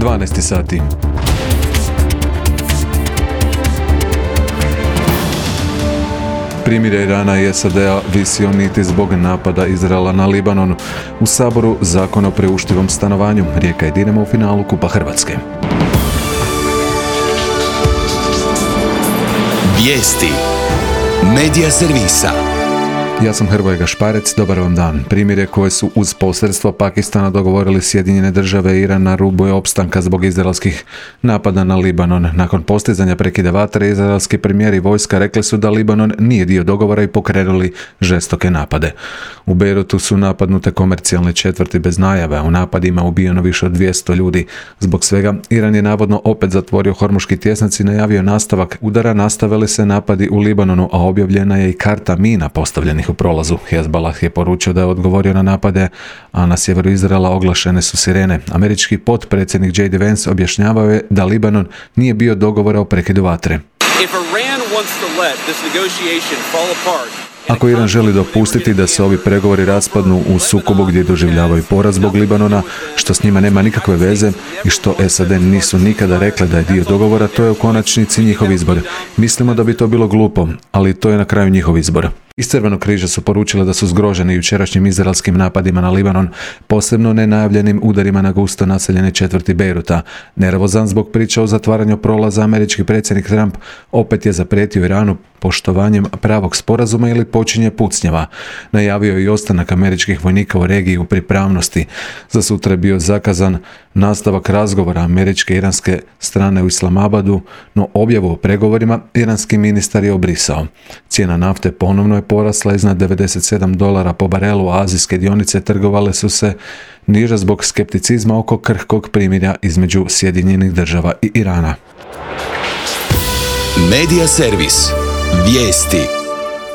12 sati. Primirje Irana i SAD-a visi o niti zbog napada Izraela na Libanon. U Saboru zakon o priuštivom stanovanju. Rijeka i Dinamo u finalu Kupa Hrvatske. Vijesti Medija servisa. Ja sam Hrvoje Gašparec, dobar vam dan. Primirje koje su uz posredstvo Pakistana dogovorili Sjedinjene države i Iran na rubu je opstanka zbog izraelskih napada na Libanon. Nakon postizanja prekida vatre, izraelski premijer i vojska rekli su da Libanon nije dio dogovora i pokrenuli žestoke napade. U Beirutu su napadnute komercijalne četvrti bez najave, a u napadima ubijeno više od 200 ljudi. Zbog svega, Iran je navodno opet zatvorio Hormuški tjesnac i najavio nastavak udara. Nastavili se napadi u Libanonu, a objavljena je i karta mina postavljenih u prolazu. Hezbollah je poručio da je odgovorio na napade, a na sjeveru Izraela oglašene su sirene. Američki potpredsjednik J.D. Vance objašnjavao je da Libanon nije bio dogovora o prekidu vatre. Ako Iran želi dopustiti da se ovi pregovori raspadnu u sukobu gdje doživljavaju poraz zbog Libanona, što s njima nema nikakve veze i što SAD nisu nikada rekle da je dio dogovora, to je u konačnici njihov izbor. Mislimo da bi to bilo glupo, ali to je na kraju njihov izbor. Iz Crvenog križa su poručili da su zgroženi jučerašnjim izraelskim napadima na Libanon, posebno nenajavljenim udarima na gusto naseljene četvrti Beiruta. Nervozan zbog priča o zatvaranju prolaza, američki predsjednik Trump opet je zaprijetio Iranu poštovanjem pravog sporazuma ili počinje pucnjava. Najavio je i ostanak američkih vojnika u regiji u pripravnosti. Za sutra je bio zakazan nastavak razgovora američke i iranske strane u Islamabadu, no objavu o pregovorima iranski ministar je obrisao. Cijena nafte ponovno je porasla iznad $97 po barelu, a azijske dionice trgovale su se niže zbog skepticizma oko krhkog primirja između Sjedinjenih država i Irana. Medija servis. Vijesti.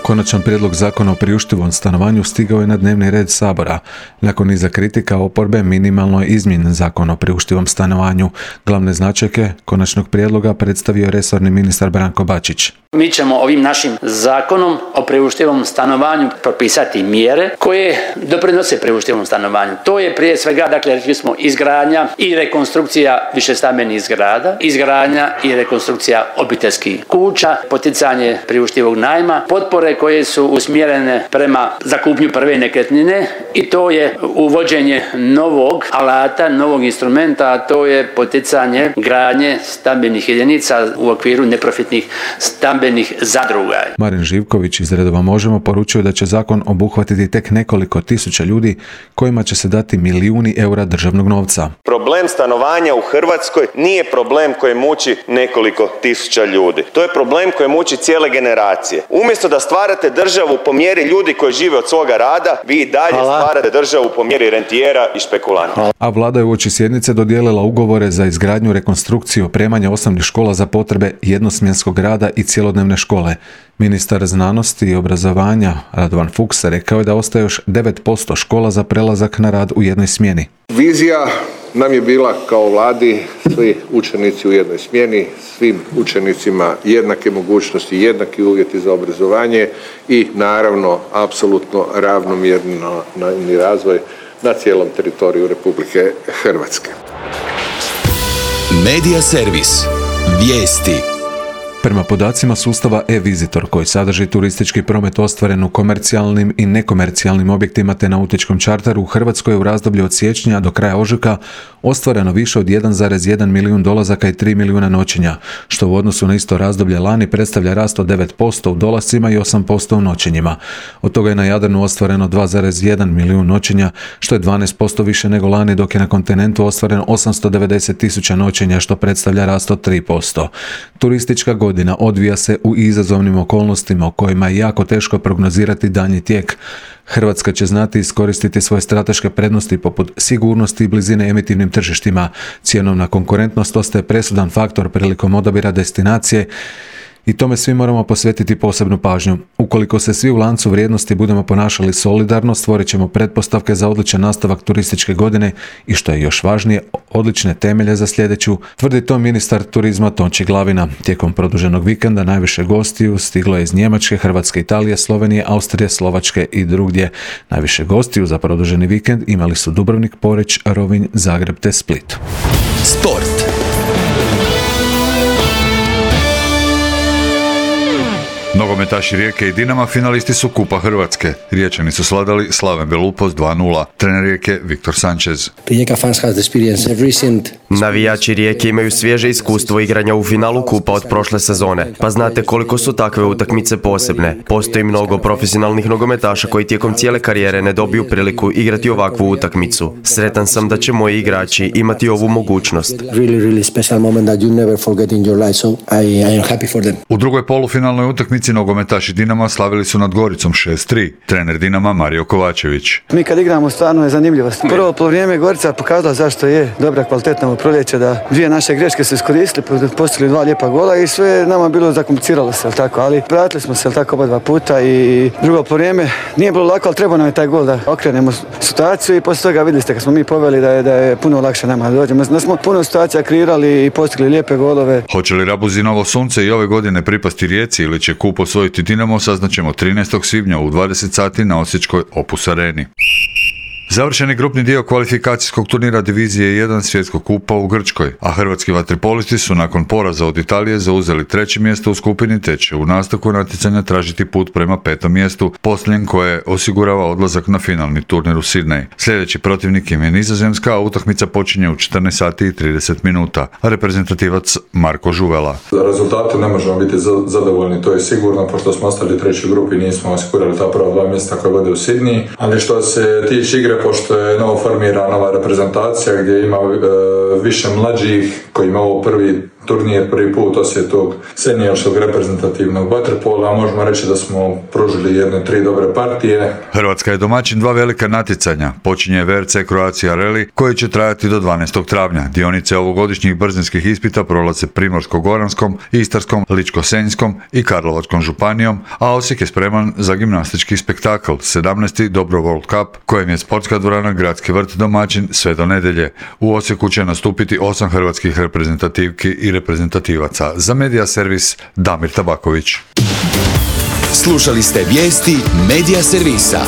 Konačan prijedlog zakona o priuštivom stanovanju stigao je na dnevni red Sabora. Nakon niza kritika oporbe, minimalno je izmijenjen zakon o priuštivom stanovanju. Glavne značajke konačnog prijedloga predstavio je resorni ministar Branko Bačić. Mi ćemo ovim našim zakonom o priuštivom stanovanju propisati mjere koje doprinose priuštivom stanovanju. To je prije svega, dakle, rekli smo, izgradnja i rekonstrukcija višestambenih zgrada, izgradnja i rekonstrukcija obiteljskih kuća, poticanje priuštivog najma, potpore koje su usmjerene prema za kupnju prve nekretnine i to je uvođenje novog alata, novog instrumenta, a to je poticanje gradnje stambenih jedinica u okviru neprofitnih stambenih zadruga. Marin Živković iz redova Možemo poručio da će zakon obuhvatiti tek nekoliko tisuća ljudi kojima će se dati milijuni eura državnog novca. Problem stanovanja u Hrvatskoj nije problem koji muči nekoliko tisuća ljudi. To je problem koji muči cijele generacije. Umjesto da stvarate državu po mjeri ljudi koji žive od svoga rada, vi i dalje stvarate državu po mjeri rentijera i špekulanta. A vlada je uoči sjednice dodijelila ugovore za izgradnju, rekonstrukciju, opremanje osnovnih škola za potrebe jednosmjenskog rada i cjelodnevne škole. Ministar znanosti i obrazovanja Radovan Fuchs rekao je da ostaje još 9% škola za prelazak na rad u jednoj smjeni. Vizija nam je bila kao vladi svi učenici u jednoj smjeni, svim učenicima jednake mogućnosti, jednaki uvjeti za obrazovanje i naravno apsolutno ravnomjerni razvoj na cijelom teritoriju Republike Hrvatske. Medija servis. Vijesti. Prema podacima sustava e-Visitor, koji sadrži turistički promet ostvaren u komercijalnim i nekomercijalnim objektima te nautičkom čarteru, u Hrvatskoj u razdoblju od siječnja do kraja ožujka ostvareno više od 1,1 milijun dolazaka i 3 milijuna noćenja, što u odnosu na isto razdoblje lani predstavlja rast od 9% u dolascima i 8% u noćenjima. Od toga je na Jadranu ostvareno 2,1 milijun noćenja, što je 12% više nego lani, dok je na kontinentu ostvareno 890.000 noćenja, što predstavlja rast od 3%. Turistička godina odvija se u izazovnim okolnostima u kojima je jako teško prognozirati daljnji tijek. Hrvatska će znati iskoristiti svoje strateške prednosti poput sigurnosti i blizine emitivnim tržištima. Cjenovna konkurentnost ostaje presudan faktor prilikom odabira destinacije i tome svi moramo posvetiti posebnu pažnju. Ukoliko se svi u lancu vrijednosti budemo ponašali solidarno, stvorit ćemo pretpostavke za odličan nastavak turističke godine i, što je još važnije, odlične temelje za sljedeću, tvrdi to ministar turizma Tonči Glavina. Tijekom produženog vikenda najviše gostiju stiglo je iz Njemačke, Hrvatske, Italije, Slovenije, Austrije, Slovačke i drugdje. Najviše gostiju za produženi vikend imali su Dubrovnik, Poreč, Rovinj, Zagreb te Split. Sport. Nogometaši Rijeke i Dinama finalisti su Kupa Hrvatske. Riječani su sladali Slaven Belupos 2:0. Trener Rijeke Viktor Sanchez. Navijači Rijeke imaju svježe iskustvo igranja u finalu Kupa od prošle sezone, pa znate koliko su takve utakmice posebne. Postoji mnogo profesionalnih nogometaša koji tijekom cijele karijere ne dobiju priliku igrati ovakvu utakmicu. Sretan sam da će moji igrači imati ovu mogućnost. U drugoj polufinalnoj utakmici nogometaši Dinama slavili su nad Goricom 6:3. Trener Dinama Mario Kovačević. Mi kad igramo stvarno je zanimljivost. Prvo polovrijeme Gorica pokazala zašto je dobra kvalitetna u proljeće, da dvije naše greške su iskoristili, postigli 2 lijepa gola i sve je nama bilo zakompliciralo se, tako, ali pratili smo se tako oba 2 puta i drugo polovrijeme nije bilo lako, ali trebao nam je taj gol da okrenemo situaciju i poslije toga vidjeli ste kad smo mi poveli da je puno lakše nama da dođemo. Da smo puno situacija kreirali i postigli lijepe golove. Hoće li Rabuzinovo sunce i ove godine pripasti Rijeci ili će Kup osvojiti Dinamo, saznaćemo 13. svibnja u 20 sati na osječkoj Opus Areni. Završeni grupni dio kvalifikacijskog turnira divizije 1 svjetskog kupa u Grčkoj, a hrvatski vaterpolisti su nakon poraza od Italije zauzeli 3. mjesto u skupini te će u nastavku natjecanja tražiti put prema 5. mjestu, posljednjem koje osigurava odlazak na finalni turnir u Sidney. Sljedeći protivnik im je Nizozemska, a utakmica počinje u 14 sati i 30 minuta. Reprezentativac Marko Žuvela. Za rezultate ne možemo biti zadovoljni, to je sigurno, pošto smo ostali u 3. grupi, nismo osigurali ta prva 2 mjesta koje vode u Sidney, ali što se tiče igre, pošto je novo formirana nova reprezentacija gdje ima više mlađih koji ima ovo prvi turnir, prvi put osim tog seniorskog reprezentativnog vaterpola, možemo reći da smo pružili 1-3 dobre partije. Hrvatska je domaćin 2 velika natjecanja. Počinje VRC Croatia Rally koji će trajati do 12. travnja. Dionice ovogodišnjih brzinskih ispita prolaze Primorsko-goranskom, Istarskom, Ličko-senjskom i Karlovačkom županijom, a Osijek je spreman za gimnastički spektakl 17. Dobro World Cup kojem je sportska dvorana Gradski vrt domaćin sve do nedjelje. U Osijeku će nastupiti 8 hrvatskih reprezentativki i reprezentativaca. Za Medija servis Damir Tabaković. Slušali ste vijesti Medija servisa.